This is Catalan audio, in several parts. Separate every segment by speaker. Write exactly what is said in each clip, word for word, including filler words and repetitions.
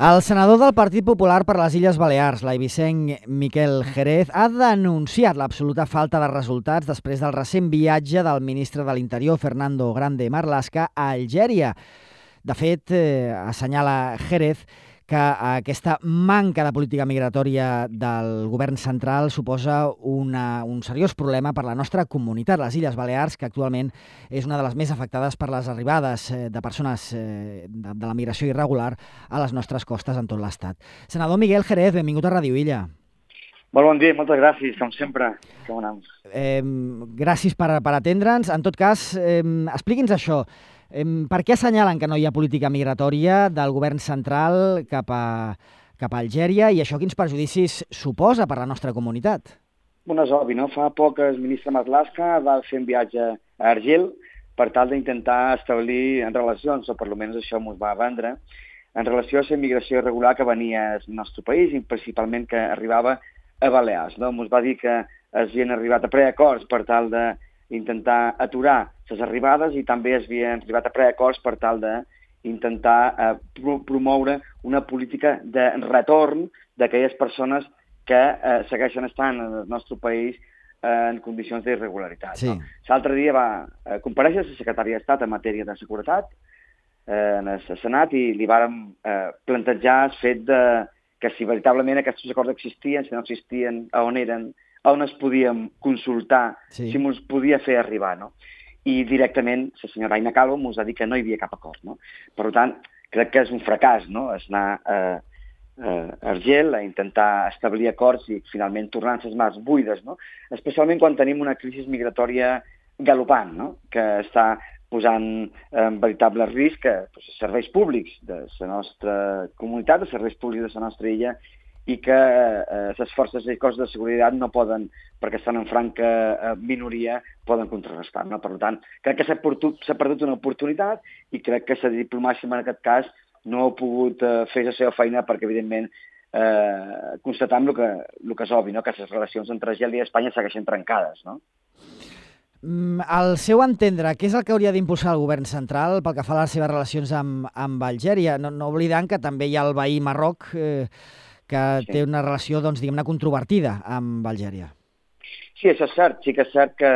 Speaker 1: El senador del Partit Popular per les Illes Balears, l'eivissenc Miquel Jerez, ha denunciat l'absoluta falta de resultats després del recent viatge del ministre de l'Interior, Fernando Grande Marlaska, a Algèria. De fet, eh, assenyala Jerez que aquesta manca de política migratòria del govern central suposa una, un seriós problema per la nostra comunitat, les Illes Balears, que actualment és una de les més afectades per les arribades de persones de, de la migració irregular a les nostres costes en tot l'Estat. Senador Miquel Jerez, benvingut a Ràdio Illa.
Speaker 2: Molt bon dia, moltes gràcies, com sempre. Com anem?
Speaker 1: Eh, gràcies per, per atendre'ns. En tot cas, eh, expliqui'ns això. Per què assenyalen que no hi ha política migratòria del govern central cap a, cap a Algèria i això quins perjudicis suposa per la nostra comunitat?
Speaker 2: Bueno, és obvi, no? Fa poc el ministre Marlaska va fer un viatge a Argel per tal d'intentar establir relacions, o per almenys això ens va vendre, en relació a la immigració irregular que venia al nostre país i principalment que arribava a Balears. No? Ens va dir que havien arribat a preacords per tal de intentar aturar les arribades i també es havien arribat a preacords per tal d'intentar eh, promoure una política de retorn d'aquelles persones que eh, segueixen estant en el nostre país eh, en condicions d'irregularitat.
Speaker 1: Sí.
Speaker 2: No? L'altre dia va eh, comparèixer la secretària d'Estat en matèria de seguretat eh, en el Senat i li vàrem eh, plantejar el fet de que si veritablement aquests acords existien, si no existien, on eren, on es podíem consultar, sí. Si ens podia fer arribar, no? I directament la senyora Aina Calvo ens ha dit que no hi havia cap acord, no? Per tant, crec que és un fracàs, no?, és anar a, a Argel a intentar establir acords i finalment tornar les mans buides, no? Especialment quan tenim una crisi migratòria galopant, no?, que està posant en veritable risc doncs, serveis públics de la nostra comunitat, de serveis públics de la nostra illa, i que eh, les forces i cossos de seguretat no poden, perquè estan en franca eh, minoria, poden contrarrestar. No? Per tant, crec que s'ha perdut una oportunitat i crec que la diplomàcia en aquest cas no ha pogut eh, fer la seva feina perquè, evidentment, eh, constatam el que, el que és obvi, no? Que les relacions entre Argèlia i Espanya segueixen trencades. No?
Speaker 1: Al seu entendre, què és el que hauria d'impulsar el govern central pel que fa a les seves relacions amb, amb Algèria? No, no oblidant que també hi ha el veí Marroc, eh, que sí. Té una relació, doncs, diguem-ne, controvertida amb Algèria.
Speaker 2: Sí, això és cert. Sí que és cert que,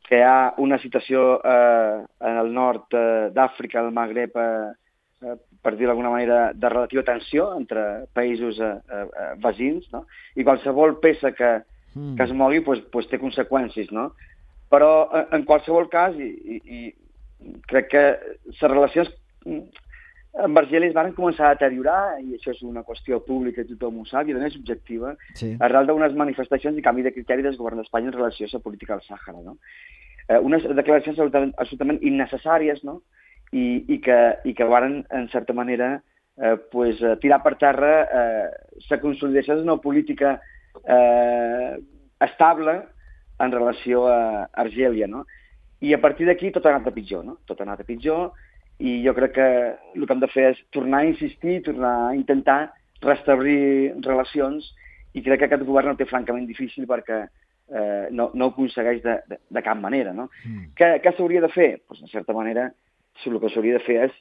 Speaker 2: que hi ha una situació eh, en el nord eh, d'Àfrica, el Magreb, eh, per dir d'alguna manera, de relativa tensió entre països eh, eh, veïns, no? I qualsevol peça que, mm. que es mogui pues, pues, té conseqüències, no? Però, eh, en qualsevol cas, i, i, i crec que les relacions amb Argèlia es van començar a deteriorar, i això és una qüestió pública i tothom ho sap, i a més objectiva, sí. Arrel d'unes manifestacions i canvi de criteri del govern d'Espanya en relació a la política del Sàhara. No? Eh, unes declaracions absolutament, absolutament innecessàries, no? I, i, que, i que varen, en certa manera, eh, pues, tirar per terra eh, la consolidació d'una política eh, estable en relació a Argèlia. No? I a partir d'aquí tot ha anat a pitjor. No? Tot ha anat a pitjor, i jo crec que el que hem de fer és tornar a insistir, tornar a intentar restablir relacions, i crec que aquest govern ho té francament difícil perquè eh, no, no ho aconsegueix de, de, de cap manera. No? Mm. Què, què s'hauria de fer? Pues, en certa manera, el que s'hauria de fer és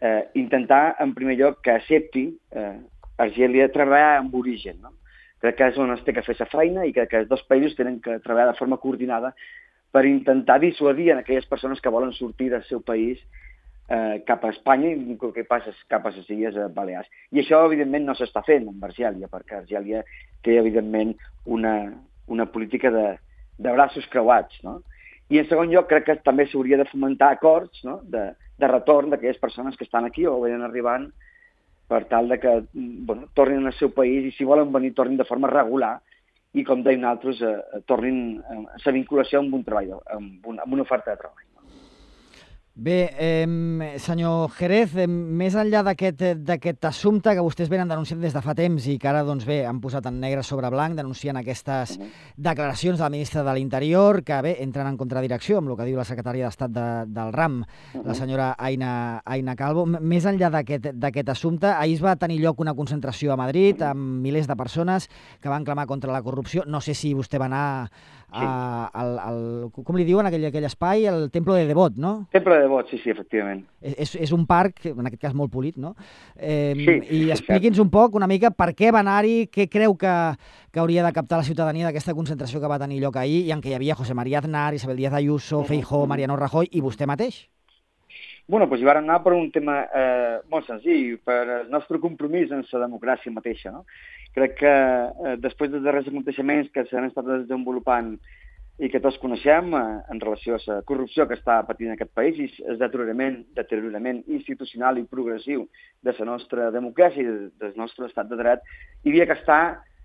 Speaker 2: eh, intentar, en primer lloc, que accepti eh, Argèlia treballar amb origen. No? Crec que és on es té que fer la feina i crec que els dos països tenen que treballar de forma coordinada per intentar dissuadir en aquelles persones que volen sortir del seu país Eh, cap a Espanya i el que passa cap a les Illes Balears. I això, evidentment, no s'està fent amb Argèlia, perquè Argèlia té, evidentment, una, una política de, de braços creuats. No? I, en segon lloc, crec que també s'hauria de fomentar acords, no? de, de retorn d'aquelles persones que estan aquí o venen arribant per tal de que bueno, tornin al seu país i, si volen venir, tornin de forma regular i, com deien altres, eh, tornin a la vinculació amb un treball, amb, un, amb una oferta de treball.
Speaker 1: Bé, eh, senyor Jerez, eh, més enllà d'aquest assumpte que vostès venen denunciant des de fa temps i que ara doncs, bé, han posat en negre sobre blanc, denunciant aquestes uh -huh. declaracions del ministre de l'Interior, que bé, entren en contradirecció amb el que diu la secretària d'Estat de, del RAM, uh -huh. la senyora Aina, Aina Calvo. Més enllà d'aquest assumpte, ahir es va tenir lloc una concentració a Madrid amb milers de persones que van clamar contra la corrupció. No sé si vostè va anar a, al, al, com li diuen, aquell, aquell espai, el Templo de Devot, no?
Speaker 2: Temple de de vots, sí, sí, efectivament.
Speaker 1: És, és un parc, en aquest cas molt polit, no? Eh,
Speaker 2: Sí,
Speaker 1: I
Speaker 2: és
Speaker 1: expliqui'ns un poc, una mica, per què va anar-hi, què creu que, que hauria de captar la ciutadania d'aquesta concentració que va tenir lloc ahir i en què hi havia José María Aznar, Isabel Díaz Ayuso, Feijóo, Mariano Rajoy i vostè mateix?
Speaker 2: Bueno, doncs hi vam anar per un tema eh, molt senzill, per el nostre compromís amb la democràcia mateixa, no? Crec que eh, després dels darrers aconteixements que s'han estat desenvolupant i que tots coneixem eh, en relació a la corrupció que està patint aquest país i el deteriorament, deteriorament institucional i progressiu de la nostra democràcia i del nostre estat de dret, hi havia que estar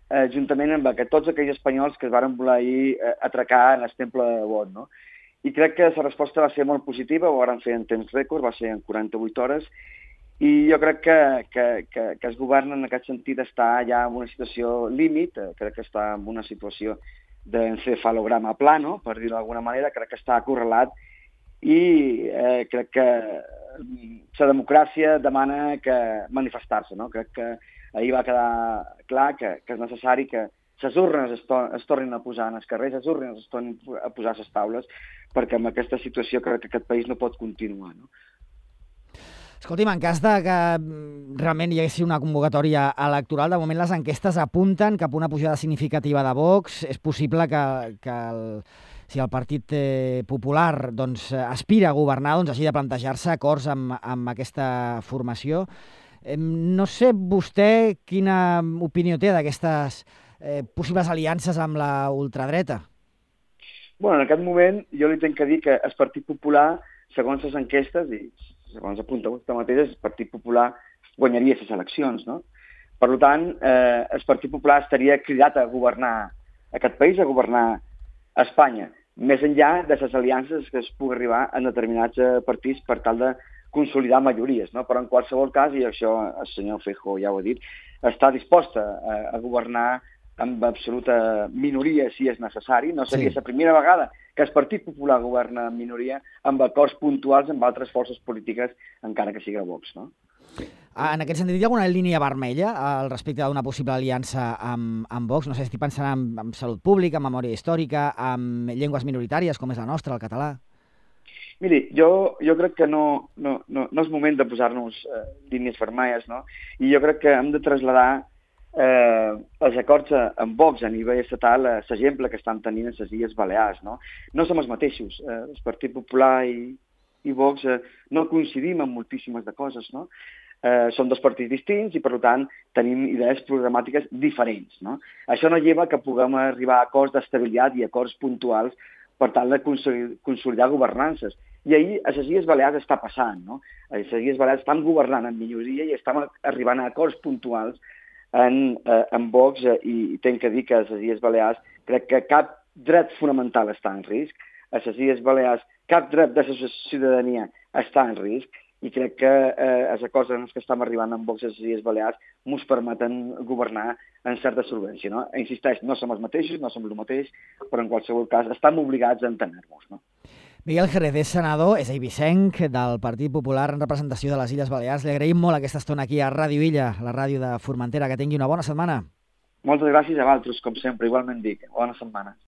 Speaker 2: eh, juntament amb que tots aquells espanyols que es varen voler ahir eh, atracar en el temple de vot, no? I crec que la resposta va ser molt positiva, ho van fer en temps rècord, va ser en quaranta-vuit hores, i jo crec que, que, que, que el govern en aquest sentit està ja en una situació límit, eh, crec que està en una situació d'encefalograma plano, per dir-ho d'alguna manera, crec que està acorralat i eh, crec que la democràcia demana que manifestar-se, no? Crec que ahir va quedar clar que, que és necessari que les urnes es, to es tornin a posar en els carrers, les urnes es tornin a posar a les taules, perquè amb aquesta situació crec que aquest país no pot continuar, no?
Speaker 1: Escolti'm, en cas de que realment hi hagués una convocatòria electoral, de moment les enquestes apunten cap a una pujada significativa de Vox. És possible que, que el, si el Partit eh, Popular doncs, aspira a governar, doncs hagi de plantejar-se acords amb, amb aquesta formació. Eh, no sé vostè quina opinió té d'aquestes eh, possibles aliances amb la ultradreta.
Speaker 2: Bueno, en aquest moment jo li tenc que dir que el Partit Popular, segons les enquestes, i segons apunta vostè mateix, el Partit Popular guanyaria les eleccions, no? Per tant, eh, el Partit Popular estaria cridat a governar aquest país, a governar Espanya, més enllà de les aliances que es pugui arribar en determinats partits per tal de consolidar majories, no? Però en qualsevol cas, i això el senyor Feijóo ja ho ha dit, està disposta a, a governar amb absoluta minoria si és necessari. No seria sí. la primera vegada que el Partit Popular governa en minoria amb acords puntuals amb altres forces polítiques, encara que sigui Vox, no?
Speaker 1: En aquest sentit, hi ha alguna línia vermella al respecte d'una possible aliança amb, amb Vox? No sé, estic pensant en, en salut pública, en memòria històrica, en llengües minoritàries, com és la nostra, el català.
Speaker 2: Miri, jo, jo crec que no, no, no, no és moment de posar-nos eh, línies vermelles, no? I jo crec que hem de traslladar eh, els acords amb Vox a nivell estatal, eh, l'exemple que estan tenint a les Illes Balears, no? No som els mateixos. Eh, el Partit Popular i, i Vox eh, no coincidim en moltíssimes de coses, no? Eh, són dos partits distints i, per tant, tenim idees programàtiques diferents, no? Això no lleva que puguem arribar a acords d'estabilitat i acords puntuals per tal de consolidar governances. I ahir a les Illes Balears està passant, no? A les Illes Balears estan governant en minoria i estan arribant a acords puntuals en, eh, en Vox eh, i tenc que dir que a les Illes Balears crec que cap dret fonamental està en risc, a les Illes Balears cap dret de la ciutadania està en risc i crec que eh, els acords en els que estem arribant amb Vox a les Illes Balears ens permeten governar en certa solvència, no? Insisteix, no som els mateixos, no som el mateix, però en qualsevol cas estem obligats a entendre-nos, no?
Speaker 1: Miguel Jerez és senador, és eivissenc del Partit Popular en representació de les Illes Balears. Li agraïm molt aquesta estona aquí a Ràdio Illa, la ràdio de Formentera. Que tingui una bona setmana.
Speaker 2: Moltes gràcies a vosaltres, com sempre. Igualment dic. Bona setmana.